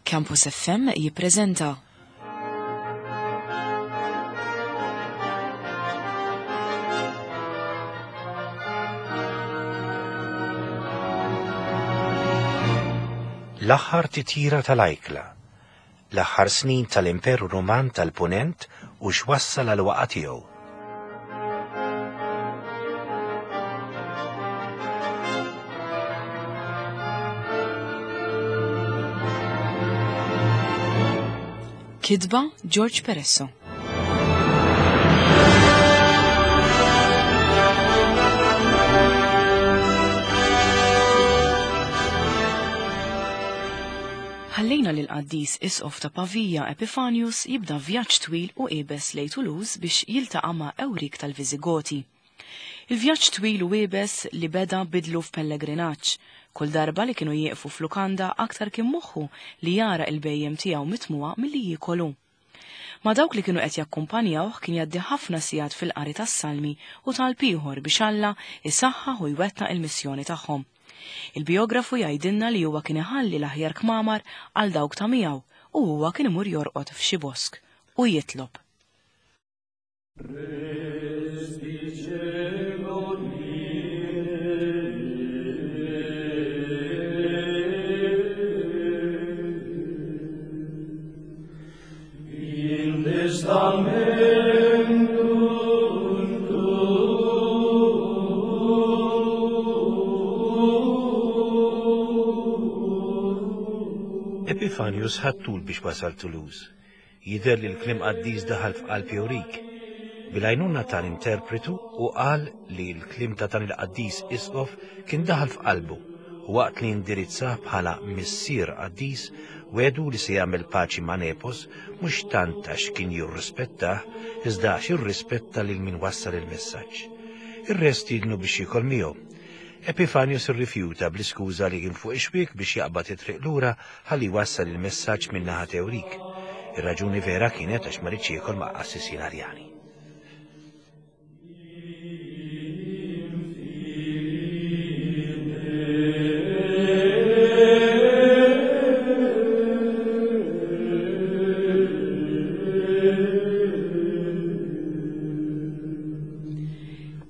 Campus FM jippreżenta. L-aħħar titjira tal-ajkla, l-aħħar snin tal-Imperu Ruman tal-Punent u x'wassal għal waqa' tiegħu. Kitba George Peresso. Ħallejna lil qaddis isqof ta' Pavia Epifanius jibda vjaġġ twil u iebes lejn Toulouse biex jiltaqa' ma' Ewrik tal-Viżigoti. Il-vjaġġ twil u iebes li beda bidlu f'pellegrinaġġ. Kull darba li kienu jieqfu f'lukanda aktar kien moħħu li jara il-bhejjem tiegħu mitmugħa milli jiekol hu. Ma' dawk li kienu qed jakkumpanjawh kien jgħaddi ħafna sigħat fil-qari tas-salmi u talb ieħor biex Alla isaħħaħ u jwettaq il-missjoni tagħhom. Il-bijografu jgħidilna li huwa kien iħalli l-aħjar kmamar għal dawk ta' miegħu u huwa kien imur jorqod f'xi bosk u jitlob. Epifanius ħa t-tul biex wasal Toulouse. Jidher li l-kliem qaddis daħal f'qalb Eurik. Bil-għajnuna ta' l-interpretu hu qal li l-kliem ta' dan il-qaddis isqof kien daħal f'qalbu u waqt li indirizzah bħala Missier Qaddis wegħdu li se jagħmel paċi ma' Nepos mhux tant għax kien jirrispettah iżda għax irrispetta lil min wassal il-messaġġ. Ir-re stiednu biex jiekol miegħu. Epifanius irrifjuta bl-iskuża li kien fuq ix-xwiek biex jaqbad it-triq lura ħalli jwassal il-messaġġ min-naħa t'Ewrik. Ir-raġuni vera kienet għax ma riedx jiekol ma' qassisin Arjani.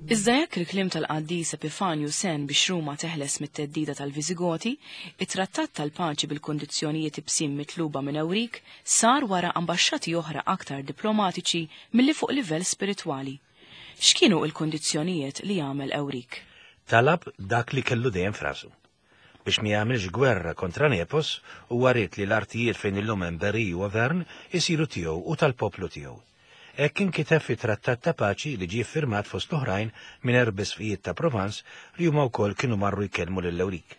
Iżda jekk il-kliem tal-qaddis Epifanju sen biex Ruma teħles mit-theddida tal-Viżigoti, it-trattat tal-paċi bil-kundizzjonijiet ibsin mitluba minn Ewrik sar wara ambaxxati oħra aktar diplomatiċi milli fuq livell spiritwali. X'kienu il-kundizzjonijiet li għamel Ewrik? Talab dak li kellu dejjem f'rasu. Biex ma jagħmilx gwerra kontra Nepos, huwa ried li l-artijiet fejn illum hemm Berry u Auvergne isiru tiegħu u tal-poplu tiegħu. Hekk inkiteb fit-trattat ta' paċi li ġie ffirmat fost l-oħrajn minn erbisqfijiet ta' Provence li huma wkoll kienu marru jkellmu lil Ewrik.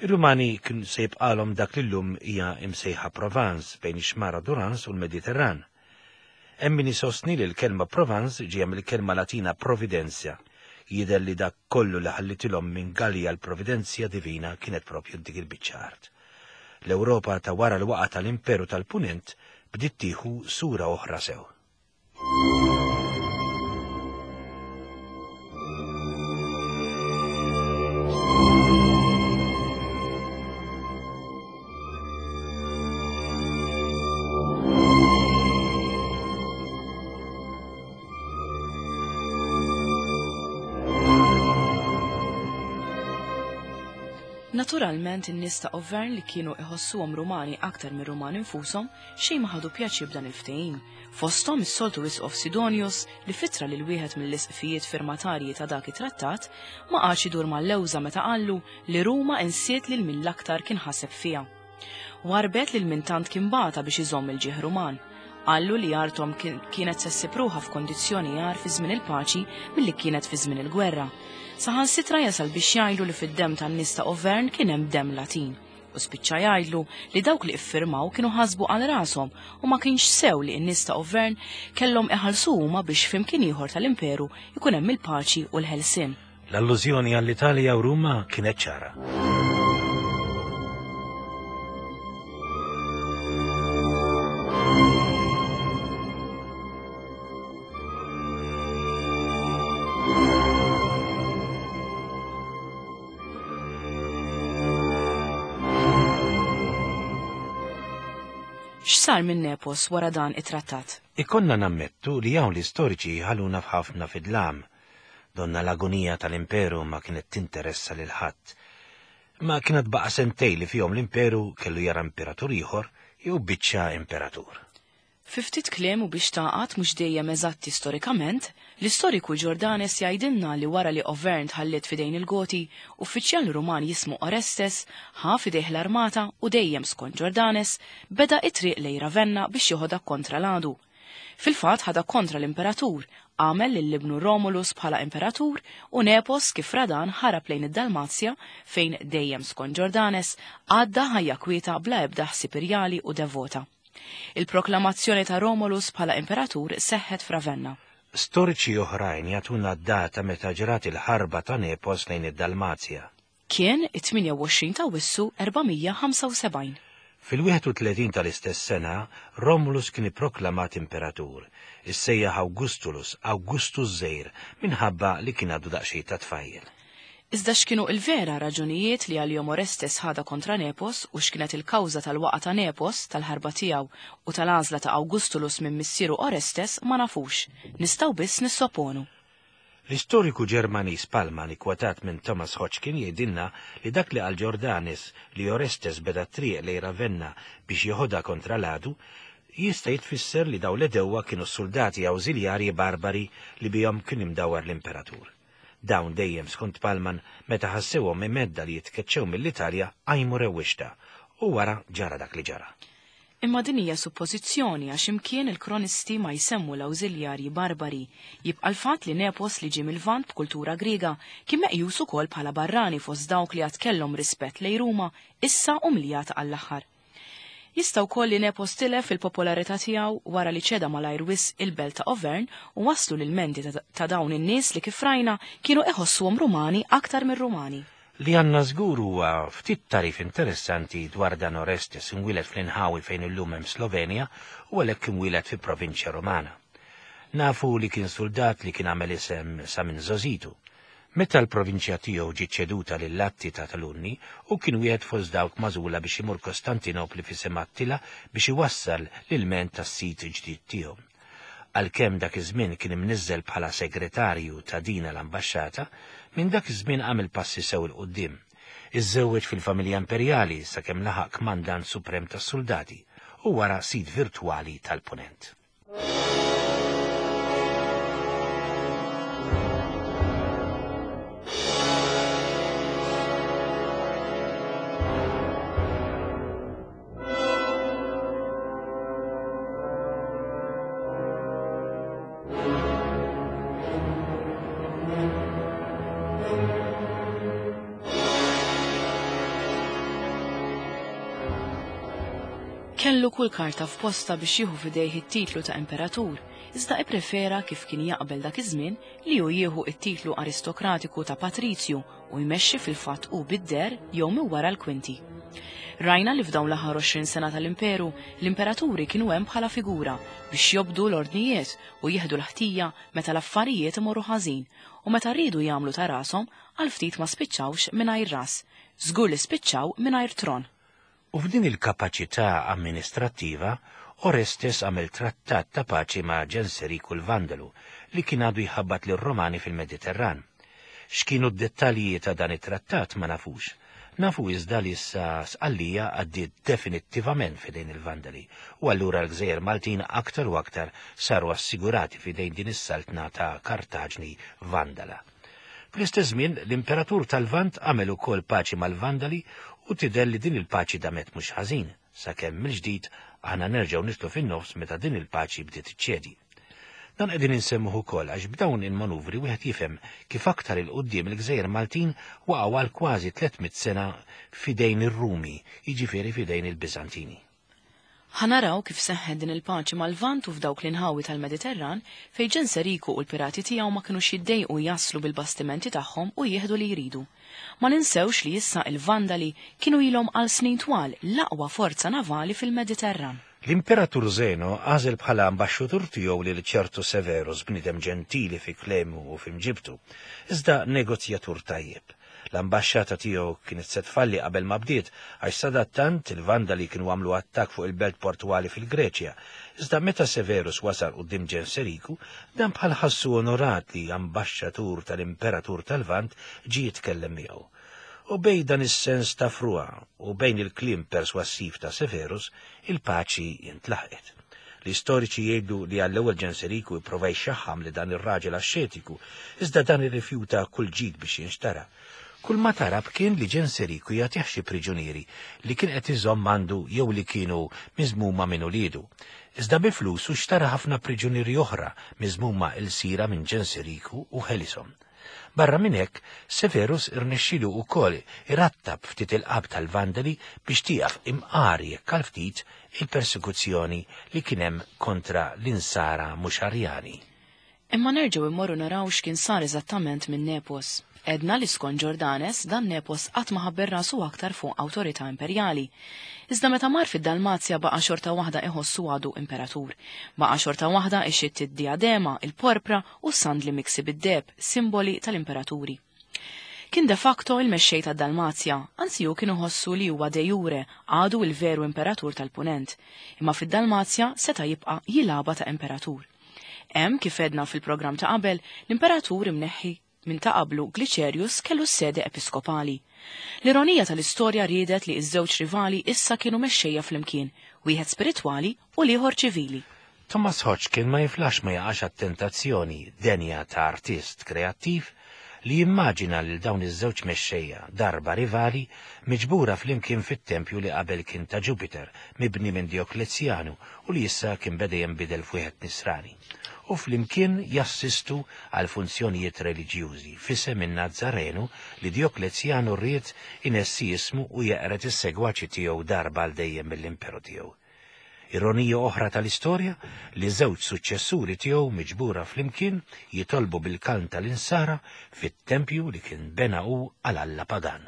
Ir-Rumani kien se jibqalhom dak li llum hija imsejħa Provence bejn ix-xmara Durance u l-Mediterran. Hemm min isostni li l-kelma Provence ġejja mill-kelma Latina Providentia. Jidher li dak kollu li ħallitilhom minn Gallia l-Providenzja Divina kienet propju dik il-biċċa art. L-Ewropa ta' wara l-waqgħa tal-Imperu tal-Punent bdiet tieħu sura oħra sew. Naturalment in-nies ta' Auvergne li kienu iħossuhom Rumani aktar mir-Rumani nfushom xejn ma ħadu pjaċir b'dan il-ftehim. Fosthom is-soltu Isqof Sidonius li f'ittra lil wieħed mill-isqfijiet firmatarji ta' dak it-trattat ma qagħadx idur mal-lewża meta qallu li Ruma insiet lil min l-aktar kien ħaseb fiha. Warrbet lil min tant kien bata biex iżomm il-ġieħ Ruman. Qallu li arthom kienet se ssib ruħha f'kondizzjoni agħar fi żmien il-paċi milli kienet fi żmien il-gwerra. Saħansitra jasal biex jgħidlu li fid-demm tan-nies ta' Auvergne kien hemm demm Latin. U spiċċa jgħidlu li dawk li iffirmaw kienu ħasbu għal rashom u ma kienx sew li n-nies ta' Auvergne kellhom iħallsu huma biex f'imkien ieħor tal-imperu jkun hemm il-paċi u l-ħelsien. L-allużjoni għall-Italja u Ruma kienet ċara. X'sar minn Nepos wara dan it-trattat? Ikollna nammettu li hawn l-istoriċi ħaluna f'ħafna fid-dlam. Donna l-agonija tal-imperu ma kienet tinteressa lil ħadd. Ma kienet baqa' sentej li fihom l-imperu kellu jara imperatur ieħor jew biċċa imperatur. Fi ftit kliem u biex tagħqad mhux dejjem eżatti storikament, l-istoriku Jordanes jgħidilna li wara li Auvergne tħalliet f'idejn il-Goti, uffiċjal Ruman jismu Orestes ħa f'idejh l-armata u dejjem skont Jordanes, beda t-triq lejn Ravenna biex joħodha kontra l-għadu. Fil-fatt ħadha kontra l-imperatur, għamel lil ibnu Romulus bħala imperatur u Nepos kif ra dan ħarab lejn id-Dalmazja fejn dejjem skont Jordanes għadda ħajja kwieta bla ebda ħsieb irjali u devota. Il-proklamazzjoni ta' Romulus bħala imperatur seħħet f'Ravenna. Storiċi oħrajn jagħtuna d-data meta ġrat il-ħarba ta' Nepos lejn id-Dalmazja. Kien it-28 ta' Awwissu 475. Fil-31 tal-istess sena, Romulus kien ipproklamat imperatur, issejjaħ Augustulus, Awgustu ż-Żgħir, minħabba li kien għadu daqsxejn ta' tfajjel. Iżda x'kienu il-vera raġunijiet li għalihom Orestes ħadha kontra Nepos u x'kienet il-kawża tal-waqgħa ta' Nepos, tal-ħarba tiegħu u tal-għażla ta' Augustulus minn missieru Orestes ma nafux. Nistgħu biss nissoponu. L-istoriku Ġermaniż Palman ikkwotat minn Thomas Hodgkin jgħidilna li dak li qal Jordanes li Orestes beda t-triq lejn Ravenna biex jeħodha kontra l-għadu jista' jitfisser li dawn l-għedewwa kienu s-suldati awżiljarji barbari li bihom kien imdawwar l-imperatur. Dawn dejjem skont Palman meta ħassewhom imhedda li jitkeċċew mill-Italja qajmu rewwixta u wara ġara dak li ġara. Imma din hija suppożizzjoni għax imkien il-kronisti ma jsemmu l-awżiljarji barbari. Jibqa' l-fatt li Nepos li ġie mil-Lvant b'kultura Griega kien meqjus ukoll bħala barrani fost dawk li għad kellhom rispett lejn Ruma issa umljata għall-aħħar. Jista' wkoll li Nepos tilef il-popolarità tiegħu wara li ċeda malajr wisq il-belt ta' Auvergne u waslu l-ilmenti ta' dawn in-nies li kif rajna kienu iħossuhom Rumani aktar mir-Rumani. Li għandna żgur huwa ftit tagħrif interessanti dwar dan Orestes imwieled fl-inħawi fejn illum hemm Slovenja u għalhekk imwieled fi provinċja Rumana. Nafu li kien suldat li kien għamel isem sa minn żgħożitu. Meta l-provinċja tiegħu ġiet ċeduta lil Atti ta' Talunni, hu kien wieħed fost dawk magħżula biex imur Kostantinopli f'isem Attila biex iwassal l-ilment tas-sid ġdid tiegħu. Għalkemm dak iż-żmien kien imniżżel bħala segretarju ta' dina l-ambaxxata, minn dak iż-żmien għamel passi sew 'il quddiem. Iżżewweġ fil-familja imperjali sakemm laħaq kmandant suprem tas-suldati u wara sid virtwali tal-Punent. Kellu kull karta f'postha biex jieħu f'idejh it-titlu ta' imperatur, iżda ipprefera kif kien jaqbel dak iż-żmien li hu jieħu t-titlu aristokratiku ta' patrizju u jmexxi fil-fatt hu bid-deher jew minn wara l-kwinti. Rajna li f'dawn l-aħħar 20 sena tal-imperu, l-imperaturi kienu hemm bħala figura biex jobdu l-ordnijiet u jieħdu l-ħtija meta l-affarijiet imorru ħażin u meta riedu jagħmlu ta' rashom għal ftit ma spiċċawx mingħajr ras, żgur li spiċċaw mingħajr tron. U f'din il-kapaċità amministrattiva, Orestes għamel trattat ta' paċi ma' Ġenseriku l-Vandalu, li kien għadu jħabbat lir-Romani fil-Mediterran. X'kienu d-dettalji ta' dan it-trattat ma nafux. Nafu iżda li issa Sqallija għaddiet definittivament f'idejn il-Vandali, u allura l-gżejjer Maltin aktar u aktar saru assigurati f'idejn din is-saltna ta' Kartaġni Vandala. Fl-istess żmien, l-Imperatur tal-Lvant għamel ukoll paċi mal-Vandali u tidher li din il-paċi damet mhux ħażin, sakemm mill-ġdid aħna nerġgħu nidħlu fin-nofs meta din il-paċi bdiet iċċedi. Dan qegħdin insemmuh ukoll għax b'dawn il-manuvri wieħed jifhem kif aktar 'il quddiem il-gżejjer Maltin waqgħu għal kważi 300 sena f'idejn ir-Rumi, jiġifieri f'idejn il-Biżantini. Ħa naraw kif seħħet din il-paċi mal-Lvant u f'dawk l-inħawi tal-Mediterran fejn Ġenseriku u l-pirati tiegħu ma kinux jiddejqu jaslu bil-bastimenti tagħhom u jieħdu li jridu. Ma ninsewx li issa il-Vandali kienu ilhom għal snin twal l-aqwa forza navali fil-Mediterran. L-Imperatur Zeno għażel bħala ambaxxutur tiegħu lil ċertu Severus, bniedem ġentili fi kliemu u fi mġibtu, iżda negozjatur tajjeb. L-ambaxxata tiegħu kienet se tfalli qabel ma bdiet għax sadattant il-Vandali kienu għamlu attakk fuq il-belt portwali fil-Greċja. Iżda meta Severus wasal quddiem Ġenseriku, dan bħal ħassu onorat li ambaxxatur tal-Imperatur tal-Lvant ġie jitkellem miegħu. U bejn dan is-sens ta' frugħa u bejn il-kliem perswassiv ta' Severus, il-paċi intlaħqet. L-istoriċi jgħidu li għall-ewwel Ġenseriku ipprova jxaħħam li dan ir-raġel axxetiku, iżda dan irrifjuta kull ġid biex jinxtara. Kull ma tarab kien li Ġenseriku jagħtih xi priġunieri li kien qed iżomm għandu jew li kienu miżmuma minn uliedu. Iżda bi flusu xtara ħafna priġunieri oħra miżmuma ilsira minn Ġenseriku u ħelishom. Barra minn hekk, Severus irnexxielu wkoll irattab ftit il-qalb tal-Vandali biex tieqaf imqar jekk għal ftit il-persekuzzjoni li kien hemm kontra l-Insara mhux Arjani. Imma nerġgħu immorru naraw x'kien sar eżattament minn Nepos. Għedna li skont Ġordanes, dan Nepos qatt ma ħabbel rasu aktar fuq awtorità imperjali. Iżda meta mar fid-Dalmazja baqa' xorta waħda iħossu għadu imperatur. Baqa' xorta waħda ixxitt id-dijadema, il-porpra u s-sandli miksi bid-deheb, simboli tal-imperaturi. Kien de facto il-mexxej tad-Dalmazja, anzi hu kien iħossu li huwa de jure għadu il-veru imperatur tal-Punent, imma fid-Dalmazja seta' jibqa' jilgħabha ta' imperatur. Hemm, kif għedna fil-programm ta' qabel, l-imperatur imneħħi minn ta' qablu Glicerius kellu s-sede episkopali. L-ironija tal-istorja riedet li ż-żewġ rivali issa kienu mexxejja flimkien, wieħed spiritwali u l-ieħor ċivili. Thomas Hodgkin ma jiflaħx ma jaqax għat-tentazzjoni denja ta' artist kreattiv li jimmaġina lil dawn iż-żewġ mexxejja, darba rivali, miġbura flimkien fit-tempju li qabel kien ta' Ġupiter, mibni minn Djoklezjanu u li issa kien beda jinbidel f'wieħed Nisrani, u flimkien jassistu għal funzjonijiet reliġjużi f'isem in-Nazzarenu li Djoklezjanu ried inessi ismu u jeqred is-segwaċi tiegħu darba għal dejjem mill-imperu tiegħu. Ironija oħra tal-istorja li żewġ suċċessuri tiegħu miġbura flimkien jitolbu bil-kalm tal-insara fit-tempju li kien bena hu għal alla pagan.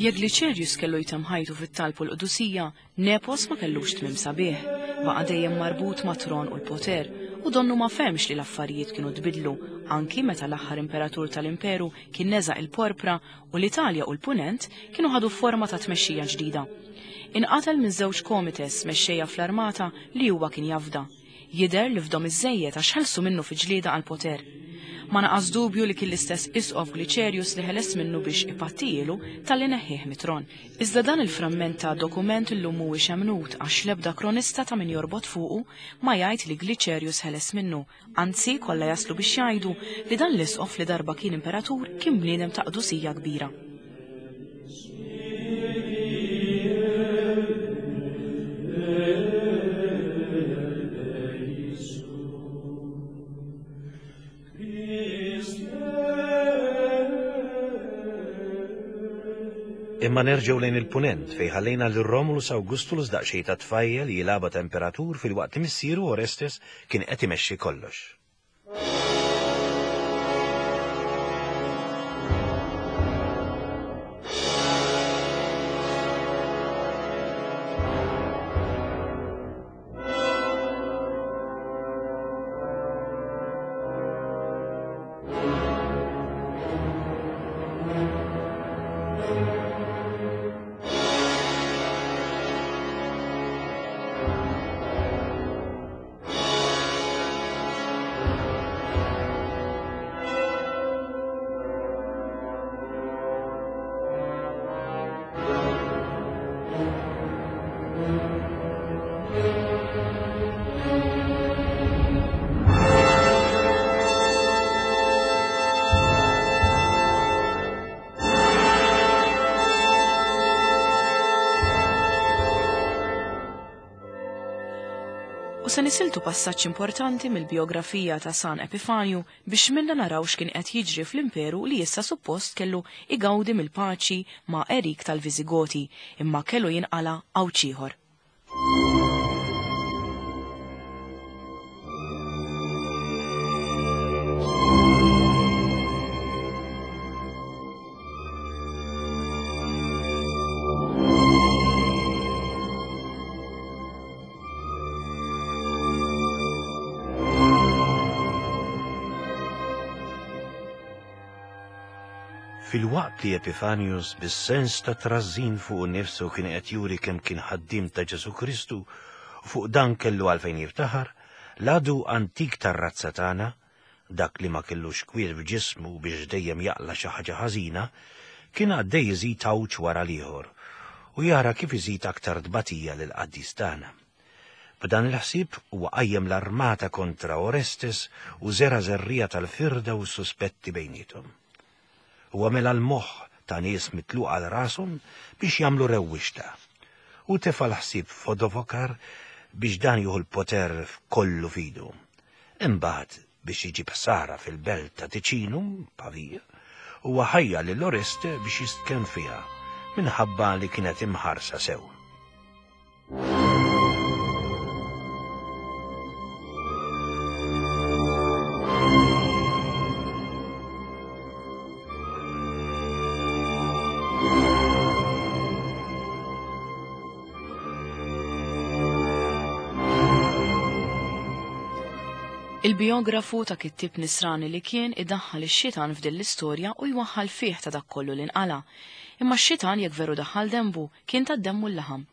Jekk Glicerius kellu jtemm ħajtu fit-talb u l-qdusija, Nepos ma kellux tmiem sabiħ. Baqa' dejjem marbut mat-tron u l-poter, u donnu ma fehmx li l-affarijiet kienu tbiddlu, anki meta l-aħħar imperatur tal-imperu kien neża' il-porpra u l-Italja u l-Punent kienu ħadu forma ta' tmexxija ġdida. Inqatel minn żewġ comites mexxejja fl-armata li huwa kien jafda. Jidher li fdhom iżżejjed għax ħelsu minnu fi ġlieda għall-poter. Ma naqas dubju li kien l-istess Isqof Glicerius li ħeles minnu biex ipattijielu talli neħħieh mit-tron. Iżda dan il-framment ta' dokument illum mhuwiex emmnut għax l-ebda kronista ta' min jorbot fuqu ma jgħid li Glicerius ħeles minnu, anzi kollha jaslu biex jgħidu li dan l-isqof li darba kien imperatur kien bniedem ta' qdusija kbira. Imma nerġgħu lejn il-Punent fejn ħallejna lil Romulus Augustulus daqsxejn ta' tfajjel jilgħabha ta' imperatur filwaqt li missieru Orestes kien qed imexxi kollox. U se nisiltu passaġġ importanti mill-bijografija ta' San Epifanju biex minna naraw x'kien qed jiġri fl-imperu li issa suppost kellu igawdi mill-paċi ma' Erik tal-Viżigoti imma kellu jinqala' għawġ ieħor. Filwaqt li Epifanius bis-sens ta' trażżin fuqu nnifsu kien qed juri kemm kien ħaddiem ta' Ġesù Kristu u fuq dan kellu għalfejn jiftaħar, l-għadu antik tar-razza tagħna, dak li ma kellux kwiet f'ġismu biex dejjem jaqla' xi ħaġa ħażina, kien għaddej iżid għawġ wara l-ieħor u jara kif iżid aktar tbatija lill-qaddis tagħna. B'dan il-ħsieb huwa qajjem l-armata kontra Orestes u żera' żerriegħa tal-firda u s-suspetti bejniethom. Huwa mela l-moħħ ta' nies mitluqa għal rashom biex jagħmlu rewwixta. Hu tefa' l-ħsieb f'Odovokar biex dan jieħu l-poter kollu f'idu. Imbagħad biex iġib ħsara fil-belt ta' Ticinum, Pavia, huwa ħajjar lil Oreste biex jistkenn fiha minħabba li kienet imħarsa sew. Il-biografu ta' kittieb nisrani li kien idaħħal ix-xitan f'din l-istorja u jwaħħal fih ta' dak kollu li nqala'. Imma x-xitan jekk veru daħħal denbu, kien tad-demm u l-laħam.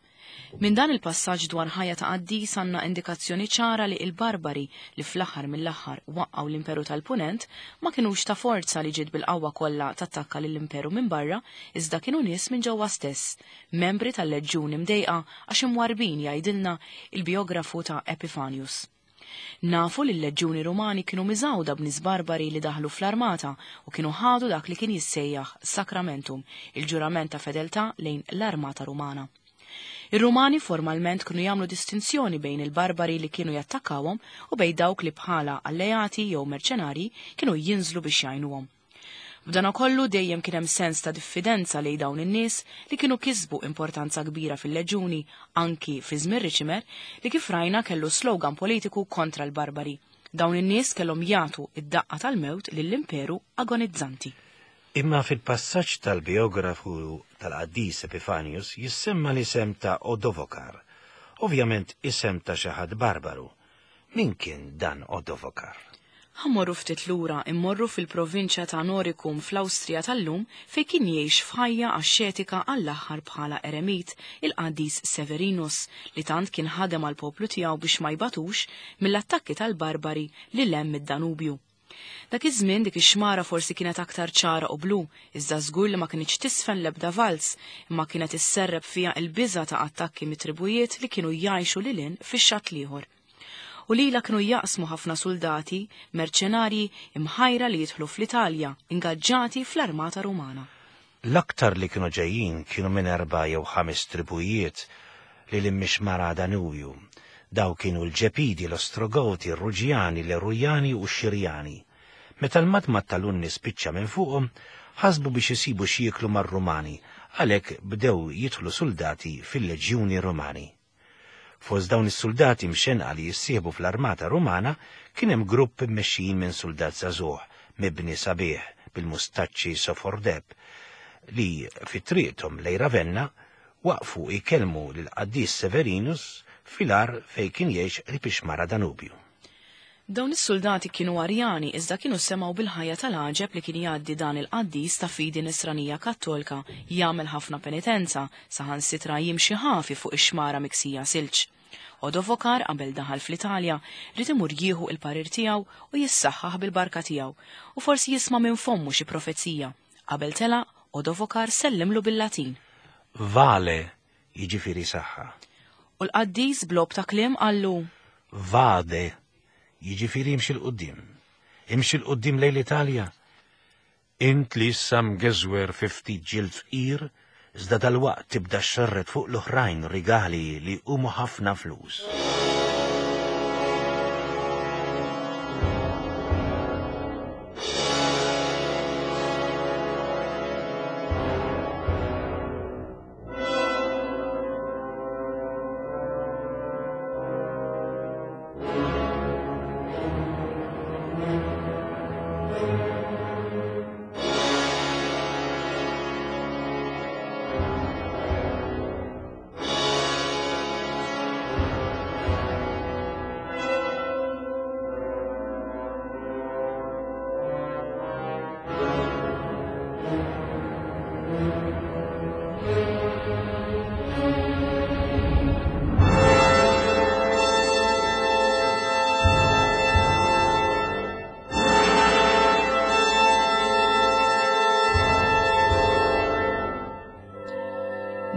Minn dan il-passaġġ dwar ħajja ta' qaddis għandna indikazzjoni ċara li il-barbari li fl-aħħar mill-aħħar waqqgħu l-Imperu tal-Punent ma kinux ta' forza li ġiet bil-qawwa kollha tattakka lill-Imperu minn barra iżda kienu nies minn ġewwa stess, membri tal-leġġuni mdejqa għax imwarrbin jgħidilna il-bijografu ta' Epifanius. Nafu li l-leġġuni Rumani kienu miżgħuda b'nies barbari li daħlu fl-armata u kienu ħadu dak li kien jissejjaħ sacramentum, il-ġurament ta' fedeltà lejn l-armata Rumana. Ir-Rumani formalment kienu jagħmlu distinzjoni bejn il-barbari li kienu jattakkawhom u bejn dawk li bħala alleati jew merċenarji kienu jinżlu biex jgħinuhom. B'danakollu dejjem kien hemm sens ta' diffidenza lejn dawn in-nies li kienu kisbu importanza kbira fil-leġuni anki fi żmien Riċimer li kif rajna kellu slogan politiku kontra l-barbari. Dawn in-nies kellhom jagħtu d-daqqa tal-mewt lill-imperu agonizzanti. Imma fil-passaġġ tal-bijografu tal-qaddis Epifanius jissemma l-isem ta' Odovokar, ovvjament isem ta' xi ħadd barbaru, Min kien dan Odovokar? Ħa mmorru ftit lura, immorru fil-provinċja ta' Noricum fl-Awstrija tal-lum fejn kien jgħix f'ħajja axxetika għall-aħħar bħala eremit il-qaddis Severinus li tant kien ħadem għall-poplu tiegħu biex ma jbatux mill-attakki tal-barbari lil hemm mid-Danubju. Dak iż-żmien dik ix-xmara forsi kienet aktar ċara u blu, iżda żgur li ma kinitx tisfen l-ebda valz, imma kienet isserrep fiha l-biża' ta' attakki mit-tribujiet li kienu jgħixu lil hinn fix-xatt l-ieħor. U lilha kienu jaqsmu ħafna suldati, merċenarji, imħajra li jidħlu fl-Italja, ingaġġati fl-armata Rumana. L-aktar li kienu ġejjin kienu minn erbgħa jew ħames tribujiet lil hinn mix-xmara Danubju. Dawk kienu l-Ġepidi, l-Ostrogoti, ir-Ruġjani, l-Erujani u x-Xirjani. Meta l-madmad tal-Unni spiċċa minn fuqhom, ħasbu biex isibu x'jieklu mar-Rumani, għalhekk bdew jidħlu suldati fil-leġjuni Rumani. Fost dawn is-suldati mxennqa li jissieħbu fl-armata Rumana kien hemm grupp immexxijin minn suldat żagħżugħ, mibni sabiħ, bil-mustaċċi sofor deheb, li fi triqthom lejn Ravenna waqfu jkellmu lill-qaddis Severinus fil-għar fejn kien jgħix qrib ix-xmara Danubju. Dawn is-suldati kienu Arjani iżda kienu semgħu bil-ħajja tal-għaġeb li kien jgħaddi dan il-qaddis ta' fidi Nisranija Kattolka, jagħmel ħafna penitenza, saħansitra jimxi ħafi fuq ix-xmara miksija silġ. Odovokar qabel daħal fl-Italja ried imur jieħu il-parir tiegħu u jissaħħaħ bil-barka tiegħu u forsi jisma' minn fommu xi profezija. Qabel telaq, Odovokar sellimlu bil-Latin. Vale, jiġifieri saħħa. U l-qaddis b'logħob ta' kliem qallu. Vade, jiġifieri imxi 'l quddiem. Imxi 'l quddiem lejn l-Italja. Int li issa mgeżwer fi ftit ġild fqir, iżda dalwaqt tibda xxerred fuq l-oħrajn rigali li jqumu ħafna flus.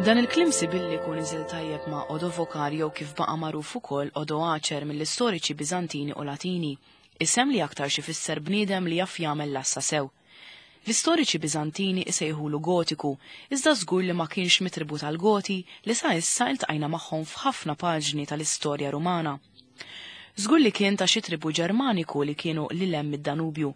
Dan il-kliem sibilliku niżel tajjeb ma' Odovokar jew kif baqa' magħruf ukoll Odoacer mill-istoriċi Biżantini u Latini, isem li aktarx ifisser bniedem li jaf jagħmel l-għassa sew. L-istoriċi Biżantini isejħulu Gotiku, iżda żgur li ma kienx mit-tribù tal-Goti li sa issa iltqajna magħhom f'ħafna paġni tal-istorja Rumana. Żgur li kien ta' xi tribù Ġermaniku li kienu lil hemm mid-Danubju.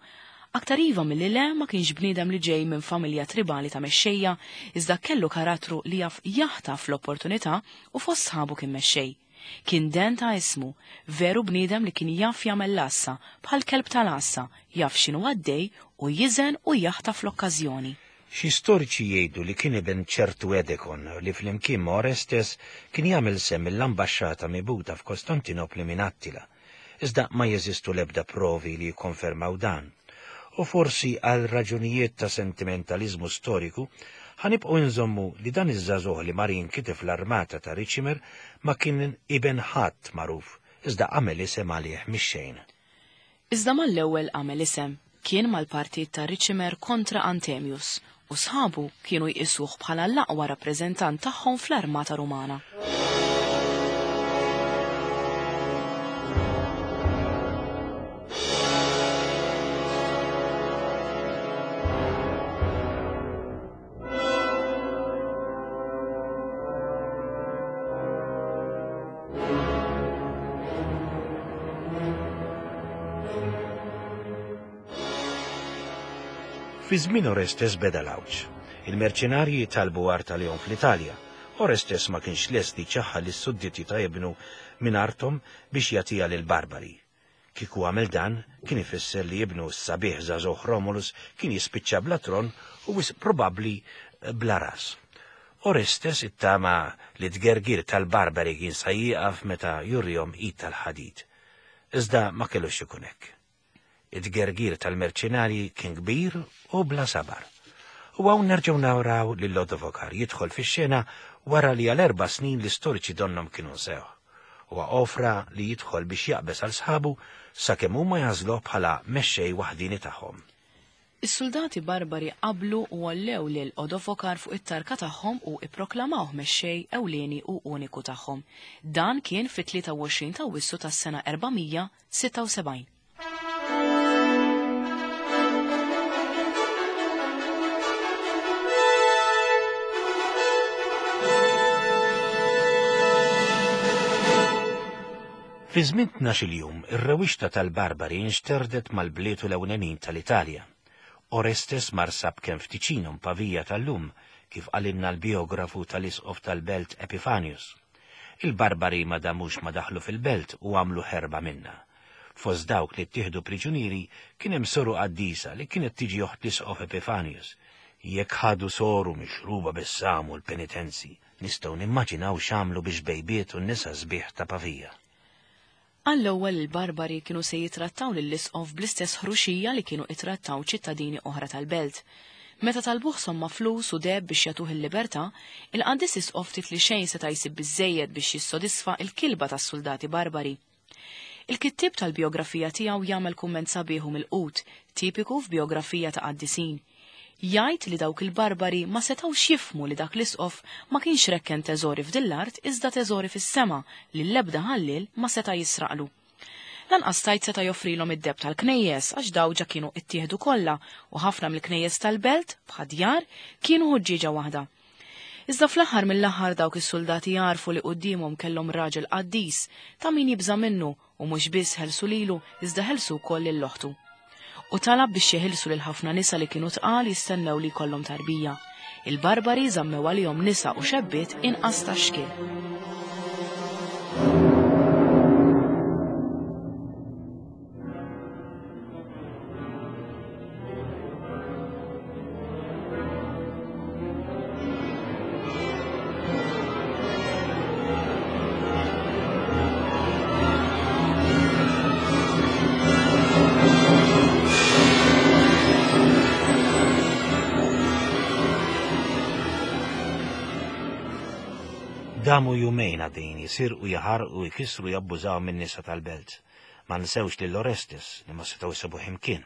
Aktar iva milli le ma kienx bniedem li ġej minn familja tribali ta' mexxejja, iżda kellu karattru li jaf jaħtaf l-opportunità u fost sħabu kien mexxej. Kien den ta' ismu, veru bniedem li kien jaf jagħmel l-għassa, bħal kelb tal-għassa, jaf x'inhu għaddej u jiżen u jaħtaf l-okkażjoni. Xi storiċi jgħidu li kien iben ċertu Edekon li flimkien ma' Orestes kien jagħmel sehem mill-ambaxxata mibgħuta f'Kostantinopli minn Attila. Iżda ma jeżistu l-ebda provi li jikkonfermaw dan. U forsi għal raġunijiet ta' sentimentaliżmu storiku, ħa nibqgħu inżommu li dan iż-żagħżugħ li mar jinkitef l-armata ta' Ricimer ma kien iben ħadd magħruf, iżda għamel isem għalih mix-xejn. Iżda mal-ewwel għamel isem. Kien mal-partit ta' Ricimer kontra Anthemius, u sħabu kienu jqisuh bħala l-aqwa rappreżentant tagħhom fl-armata Rumana. Fi żmien Orestes beda l-għawġ. Il-merċenarji talbu art għalihom fl-Italja. Orestes ma kienx lest li jċaħħad lis-sudditi ta' ibnu minn arthom biex jagħtiha lill-Barbari. Kieku għamel dan, kien ifisser li ibnu s-sabiħ żagħżugħ Romulus kien jispiċċa bla tron u wisq probabbli bla ras. Orestes ittama li t-tgergir tal-Barbari kien sa jieqaf meta jurihom id tal-ħadid. Iżda ma kellux ikun hekk. It-tgergir tal-merċenarji kien kbir u bla sabar. U hawn nerġgħu naraw lil Lodovokar jidħol fix-xena wara li għal erba' snin l-istoriċi donnhom kienu nsewh. Huwa offra li jidħol biex jaqbeż għal sħabu sakemm huma jagħżluh bħala mexxej waħdieni tagħhom. Is-suldati barbari qablu u għollew lil Odovokar fuq it-tarka tagħhom u ipproklamawh mexxej ewlieni u uniku tagħhom. Dan kien fit-23 t'Awwissu tas-sena 476. Fi żmien tnax-il jum, ir-rewwixta tal-Barbari nxterdet mal-bliet u l-ewlenin tal-Italja. Orestes mar sab kemm f'Ticinum, Pavia tal-lum, kif qalilna l-bijografu tal-isqof tal-belt Epifanius. Il-Barbari ma damux ma daħlu fil-belt u għamlu ħerba minnha. Fost dawk li ttieħdu priġunieri kien hemm soru qaddisa li kienet tiġi oħt l-isqof Epifanius. Jekk ħadu soru mixruba bis-sam u l-penitenzi, nistgħu nimmaġinaw x'għamlu bix-xbejbiet u n-nisa sbieħ ta' Pavia. Għall-ewwel il-Barbari kienu se jittrattaw lill-isqof bl-istess ħruxija li kienu ittrattaw ċittadini oħra tal-belt. Meta talbuh somma flus u deheb biex jagħtuh il-libertà, il-qaddis isqof ftit li xejn seta' jsib biżżejjed biex jissodisfa l-kilba tas-suldati Barbari. Il-kittieb tal-bijografija tiegħu jagħmel kumment sabiħ u milqut, tipiku f'bijografija ta' qaddisin. Jgħid li dawk il-barbari ma setgħux jifhmu li dak l-isqof ma kienx rekken teżori f'din l-art iżda teżori fis-sema li l-ebda ħalliel ma seta' jisraqlu. Lanqas tgħid seta' joffrilhom id-deheb tal-knejjes għax daw ġa kienu ittieħdu kollha u ħafna mill-knejjes tal-belt, bħad-djar, kienu ħuġġieġa waħda. Iżda fl-aħħar mill-aħħar dawk is-suldati għarfu li quddiemhom kellhom raġel qaddis ta' min jibża' minnu u mhux biss ħelsu lilu iżda ħelsu wkoll lil oħtu. U talab biex jeħilsu lil ħafna nisa li kienu tqal jistennew li jkollhom tarbija. Il-barbari żammew għalihom nisa u xebbiet inqas ta' xkiel. Damu jumejn għaddejjin jisirqu, jaħarqu, jkissru, jabbużaw min-nisa tal-belt. Ma nsewx lil Orestes li ma setgħu jsibuh imkien.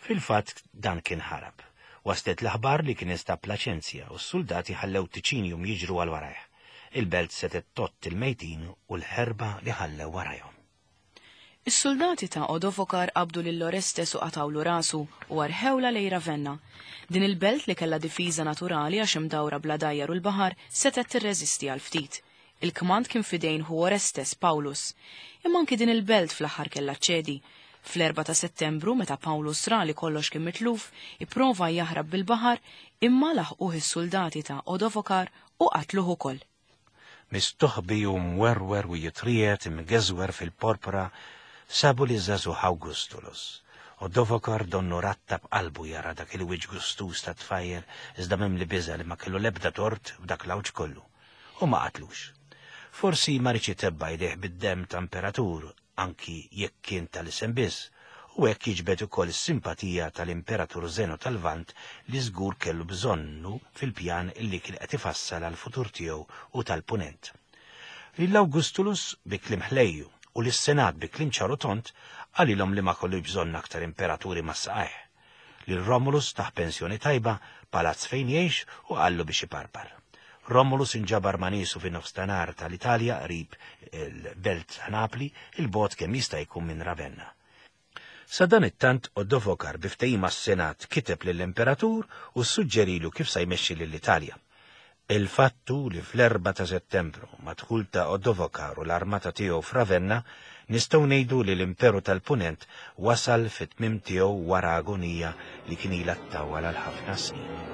Fil-fatt dan kien ħarab. Waslet l-aħbar li kien instab Plaċenzja u s-suldati ħallew Tiċinium jiġru għal warajh. Il-belt setgħet tgħodd il-mejtin u l-ħerba li ħallew warajhom. Is-suldati ta' Odovokar qabdu lil Orestes u qatgħulu rasu u arħewlha lejn Ravenna. Din il-belt li kellha difiża naturali għax imdawra bl-għadajjar u l-baħar setgħet tirreżisti għal ftit. Il-kmand kien f'idejn ħu Orestes, Paulus. Imma anki din il-belt fl-aħħar kellha ċċedi. Fl-erbgħa ta' Settembru, meta Paulus ra li kollox kien mitluf, ipprova jaħrab bil-baħar, imma laħquh is-suldati ta' Odovokar u qatluh ukoll. Mistoħbi u mwerwer u jitriegħed imgeżwer fil-porpra, sabu liż-żagħżugħ Augustulus. Odovokar donnu rattab qalbu jara dak il-wiċċ gustuż tat-tfajjel iżda mimli biża' li ma kellu l-ebda tort f'dak l-għawġ kollu. U ma qatlux. Forsi ma riedx itebba' jdejh bid-demm ta' imperatur, anki jekk kien tal-isem biss, u hekk jiġbed ukoll is-simpatija tal-Imperatur Zeno tal-Lvant li żgur kellu bżonnu fil-pjan li kien qed ifassal għall-futur tiegħu u tal-Punent. Lil Augustulus bi kliem ħlejju u lis-Senat bi kliem ċar u tond qalilhom li ma kellux bżonn aktar imperaturi ma' saqajh. Lil Romulus tah pensjoni tajba, palazz fejn jgħix u qallu biex iparpar. Romulus inġabar ma' niesu fin-nofstanhar tal-Italja qrib il-belt ta' Napli, 'il bogħod kemm jista' jkun minn Ravenna. Sadanittant Odovocar bi ftehim mas-Senat kiteb lill-Imperatur u ssuġġerilu kif sa jmexxi lill-Italja. Il-fatt hu li fl-erbgħa ta' Settembru, mad-dħul ta' Odovocar u l-armata tiegħu f'Ravenna, nistgħu ngħidu li l-Imperu tal-Punent wasal fit-tmiem tiegħu wara agonija li kien ilha ttawwal għal ħafna snin.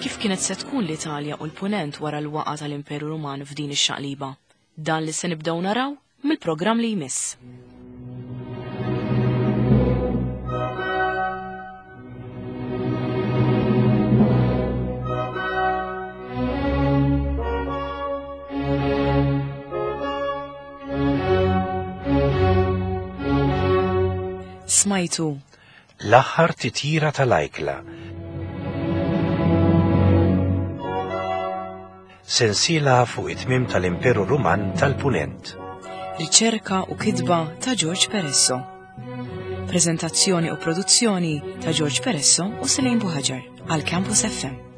Kif kienet se tkun l-Italja u l-Punent wara l-waqgħa tal-Imperu Ruman f'din ix-xaqliba? Dan li se nibdew naraw mill-programm li jmiss. Smajtu L-aħħar titjira tal-ajkla. Sensiela fuq it-tmiem tal-Imperu Ruman tal-Punent. Riċerka u kitba ta' George Peresso. Prezentazzjoni u produzzjoni ta' George Peresso u Selene Buhaġar għal Campus FM.